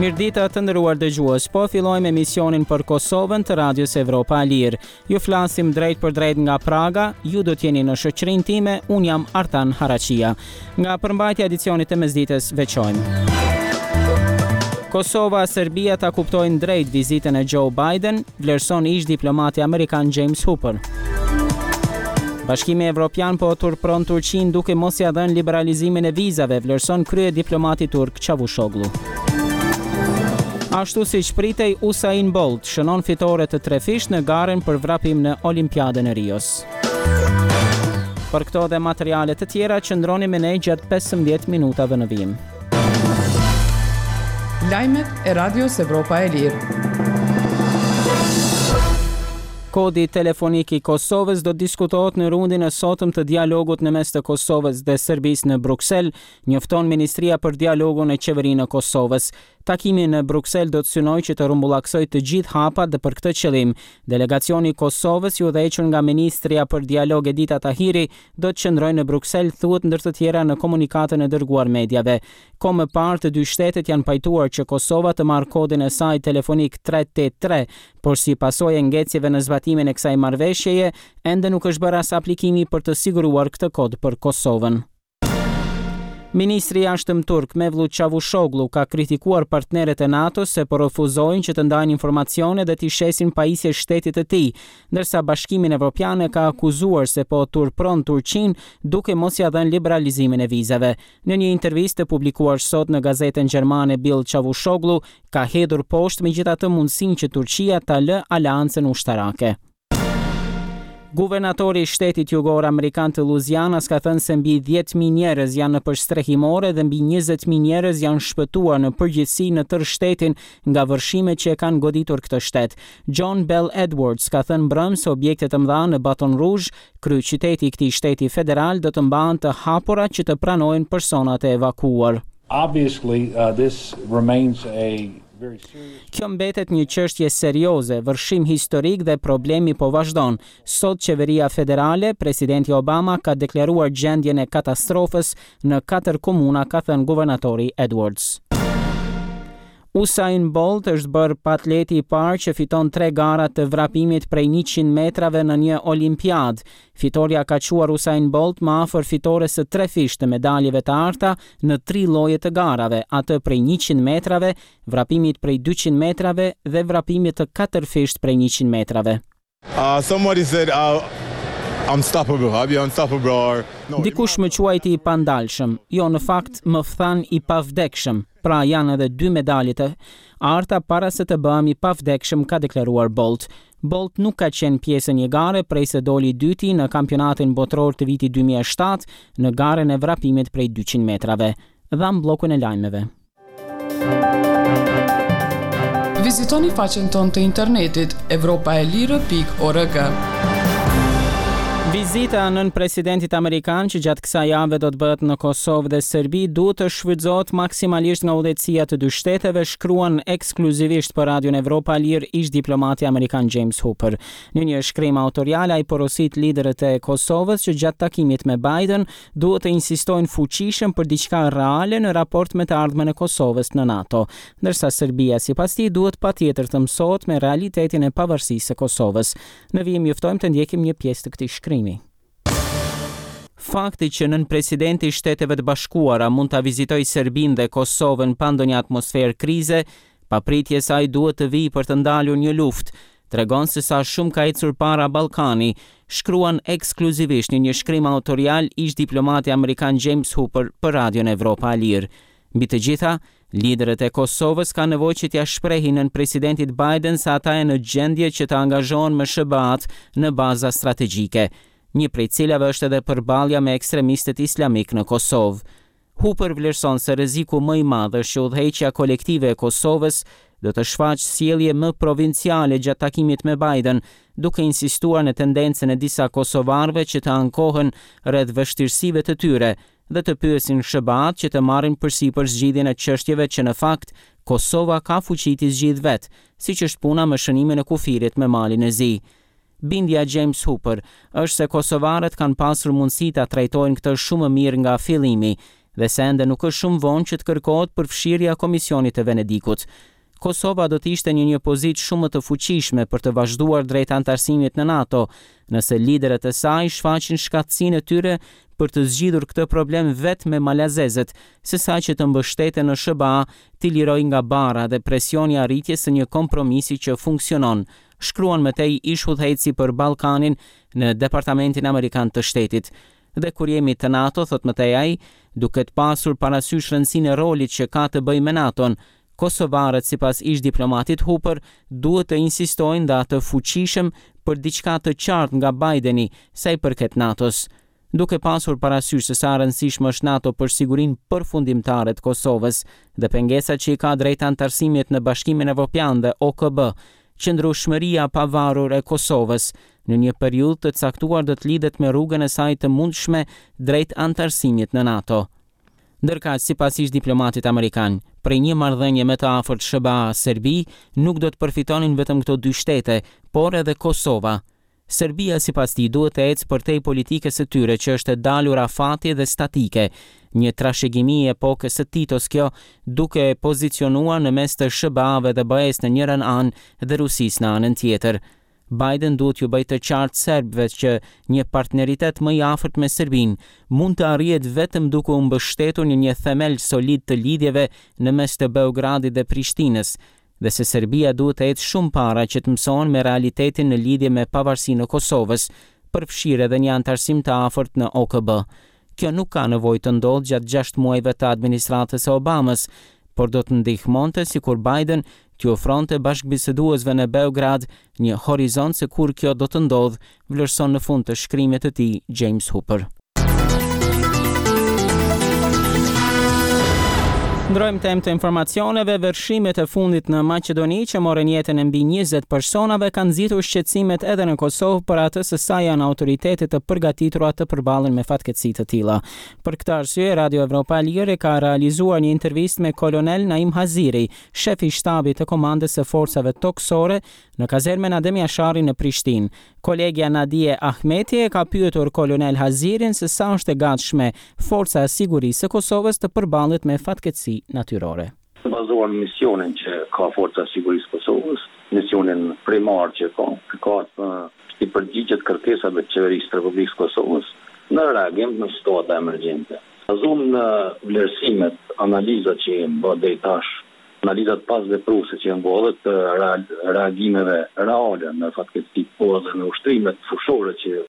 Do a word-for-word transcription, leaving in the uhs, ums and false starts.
Mirëdita, të nderuar dëgjues, po fillojmë emisionin për Kosovën të Radios Evropa e Lirë. Ju flasim drejt për drejt nga Praga, ju do t'jeni në shoqërinë time, unë jam Artan Haraqia. Nga përmbajtja e edicionit të mesditës veçojmë: Kosova, Serbia ta kuptojnë drejt vizitën e Joe Biden, vlerëson ish diplomati amerikan James Hooper. Bashkimi Evropian po turpron Turqinë duke mos ja dhënë liberalizimin e vizave, vlerëson krye diplomati turk Çavushoglu. Ashtu si që pritej, Usain Bolt shënon fitore të trefisht në garën për vrapim në Olimpiadën e Rios. Për këto dhe materiale të tjera, qëndroni me ne gjatë pesëmbëdhjetë minutave në vijim. Lajmet e Radios Evropa e Lirë. Kodi telefonik i Kosovës do të diskutohet në rundin e sotëm të dialogut në mes të Kosovës dhe Serbisë në Bruksel, njofton Ministria për Dialogun e Qeverinë e Kosovës. Takimi në Bruksel do të synojë që të rrumbullaksojë të gjithë hapat dhe për këtë qëllim, delegacioni i Kosovës, i udhëhequr nga Ministria për Dialog Edita Tahiri, do të qëndrojë në Bruksel, thuhet ndër të tjera në komunikatën e dërguar mediave. Kohë më parë të dy shtetet janë pajtuar që Kosova të marrë kodin e saj telefonik treqind e tetëdhjetë e tre, por si pasojë e ngecjeve në zbatimin e kësaj marrëveshjeje, ende nuk është bërë as aplikimi për të siguruar këtë kod për Kosovën. Ministri i Jashtëm turk Mevlut Çavushoglu ka kritikuar partnerët e NATO-s se po refuzojnë që të ndajnë informacione dhe t'i shesin pajisje shtetit të tij, ndërsa Bashkimin Evropian e ka akuzuar se po turpron Turqinë duke mos ja dhënë liberalizimin e vizave. Në një intervistë të publikuar sot në gazetën gjermane Bild, Çavushoglu ka hedhur poshtë megjithatë mundësinë që Turqia ta lë aleancën ushtarake. Guvernatori i shtetit jugor amerikan të Louisianas ka thënë se mbi dhjetë mijë njerëz janë nëpër strehimore dhe mbi njëzet mijë njerëz janë shpëtuar në përgjithësi në tërë shtetin nga vërshimet që e kanë goditur këtë shtet. John Bell Edwards ka thënë mbrëmë se objektet e mëdha në Baton Rouge, kryeqyteti i këtij shteti federal, do të mbahen të hapura që të pranojnë personat e evakuuar. Obviously, uh, this remains a very serious Kjo mbetet një çështje serioze, vërshim historik dhe problemi po vazhdon. Sot qeveria federale, presidenti Obama ka deklaruar gjendjen e katastrofës në katër komuna, ka thënë guvernatori Edwards. Usain Bolt është bërë atleti i parë që fiton tre gara të vrapimit prej njëqind metrave në një olimpiad. Fitoria ka çuar Usain Bolt më afër fitores së trefisht të medaljeve të arta në tri lloje të garave, atë prej njëqind metrave, vrapimit prej dyqind metrave dhe vrapimit të katërfisht prej njëqind metrave. Uh, somebody said uh, unstoppable. I'll be unstoppable or no. Dikush më quajti i pandalshëm. Jo, në fakt më than i pavdekshëm. Pra, janë edhe dy medalje të arta para se të bëhem i pavdekshëm, ka deklaruar Bolt. Bolt nuk ka qenë pjesë e një gare prej se doli i dyti në kampionatin botëror të vitit dy mijë e shtatë në garën e vrapimit prej dyqind metrave. Dham bllokun e lajmeve. Vizitoni faqen tonë të internetit evropaelire pikë org. Vizita e nënpresidentit amerikan që gjatë kësaj jave do të bëhet në Kosovë dhe Serbi duhet të shfrytëzohet maksimalisht nga udhëheqësia të dy shteteve, shkruan ekskluzivisht për Radion Evropa e Lirë ish diplomati amerikan James Hooper. Në një shkrim autorial ai porosit liderët e Kosovës që gjatë takimit me Biden duhet të insistojnë fuqishëm për diçka reale në raport me të ardhmen e Kosovës në NATO, ndërsa Serbia, sipas tij, duhet patjetër të mësohet me realitetin e pavarësisë së Kosovës. Në vijim ju ftojmë të ndjekim një pjesë të këtij shkrimi. Fakti që nënpresidenti i Shteteve të Bashkuara mund ta vizitojë Serbinë dhe Kosovën pa ndonjë atmosferë krize, pa pritje se ai duhet të vijë për të ndalur një luftë, tregon se sa shumë ka ecur para Ballkani, shkruan ekskluzivisht në një shkrim autorial ish diplomati amerikan James Hooper për Radion Evropa e Lirë. Mbi të gjitha, liderët e Kosovës kanë nevojë që t'ia shprehin nënpresidentit Biden se ata janë në gjendje që të angazhohen me S H B A-t në baza strategjike, një prej cilave është edhe përballja me ekstremistët islamik në Kosovë. Hooper vlerëson se rreziku më i madh është që udhëheqja kolektive e Kosovës do të shfaqë sjellje më provinciale gjatë takimit me Biden, duke insistuar në tendencën e disa kosovarëve që të ankohen rreth vështirësive të tyre dhe të pyesin S H B A-t që të marrin përsipër zgjidhjen e çështjeve që në fakt Kosova ka fuqi t'i zgjidh vet, siç është puna me shënimin e kufirit me Malin e Zi. Bindja James Hooper është se kosovarët kanë pasur mundësi ta trajtojnë këtë shumë më mirë nga fillimi. dhe se ende nuk është shumë vonë që të kërkohet përfshirja e Komisionit të Venedikut. Kosova do të ishte në një pozitë shumë më të fuqishme për të vazhduar drejt anëtarësimit në NATO, nëse liderët e saj shfaqin shkathtësinë e tyre për të zgjidhur këtë problem vetë me malazezët, se sa që të mbështeten në S H B A t'i lirojë nga barra dhe presioni i arritjes së një kompromisi që funksionon, shkruan më tej ish udhëheqësi për Ballkanin në Departamentin Amerikan të Shtetit. Dhe kur jemi të NATO, thot më tej ai, duke të pasur parasysh rëndësinë e rolit që ka të bëjë me NATO-n, kosovarët, sipas ish diplomatit Hooper, duhet të insistojnë dhe atë fuqishëm për diçka të qartë nga Bideni sa i përket NATO-s. Duke pasur parasysh se sa rëndësishme është NATO për sigurinë përfundimtare të Kosovës dhe pengesat që i ka drejt anëtarësimit në Bashkimin Evropian dhe O K B, qëndrueshmëria pavarur e Kosovës në një periudhë të caktuar do të lidhet me rrugën e saj të mundshme drejt anëtarësimit në NATO. Ndërkaq, sipas ish diplomatit amerikan, prej një marrëdhënie më të afërt S H B A-Serbi nuk do të përfitonin vetëm këto dy shtete, por edhe Kosova. Serbia, sipas tij, duhet të ecë përtej politikës së tyre që është e dalur afati dhe statike, një trashëgimi e epokës së Titos kjo, duke e pozicionuar në mes të S H B A-ve dhe B E-s në njërën anë dhe Rusisë në anën tjetër. Biden duhet ju bëjë të qartë serbëve që një partneritet më i afërt me Serbinë mund të arrihet vetëm duke u mbështetur në një themel solid të lidhjeve në mes të Beogradit dhe Prishtinës, dhe se Serbia duhet të ecë shumë para që të mësohen me realitetin në lidhje me pavarësinë e Kosovës, përfshirë edhe një anëtarësim të afërt në O K B. Kjo nuk ka nevojë të ndodhë gjatë gjashtë muajve të administratës së Obamës, por do të ndihmonte sikur Biden t'ju ofronte bashkëbiseduesve në Beograd një horizont se kur kjo do të ndodhë, vlerëson në fund të shkrimit të tij James Hooper. Ndrojmë temë të informacioneve. Vërshimet e fundit në Maqedoni që morën jetën e mbi njëzet personave kanë nxitur shqetësimet edhe në Kosovë për atë se sa janë autoritetet të përgatitura të përballen me fatkeqësi të tilla. Për këtë arsye, Radio Evropa e Lirë ka realizuar një intervistë me kolonel Naim Haziri, shef i shtabit të komandës së forcave tokësore në kazermën Adem Jashari në Prishtinë. Kolegja Nadie Ahmeti e ka pyetur kolonel Hazirin se sa është e gatshme Forca e Sigurisë së Kosovës të përballet me fatkeqësi natyrore. Bazuar në misionin që ka Forca e Sigurisë së Kosovës, misionin primar që ka, ka të i përgjigjet kërkesave të Qeverisë të Republikës së Kosovës në reagim në situata emergjente. Bazuar në vlerësimet, analizat që janë bërë deri tash, analizat pas vepruese që janë bërë të reagimeve reale në fatkeqësi, po edhe në ushtrimet fushore që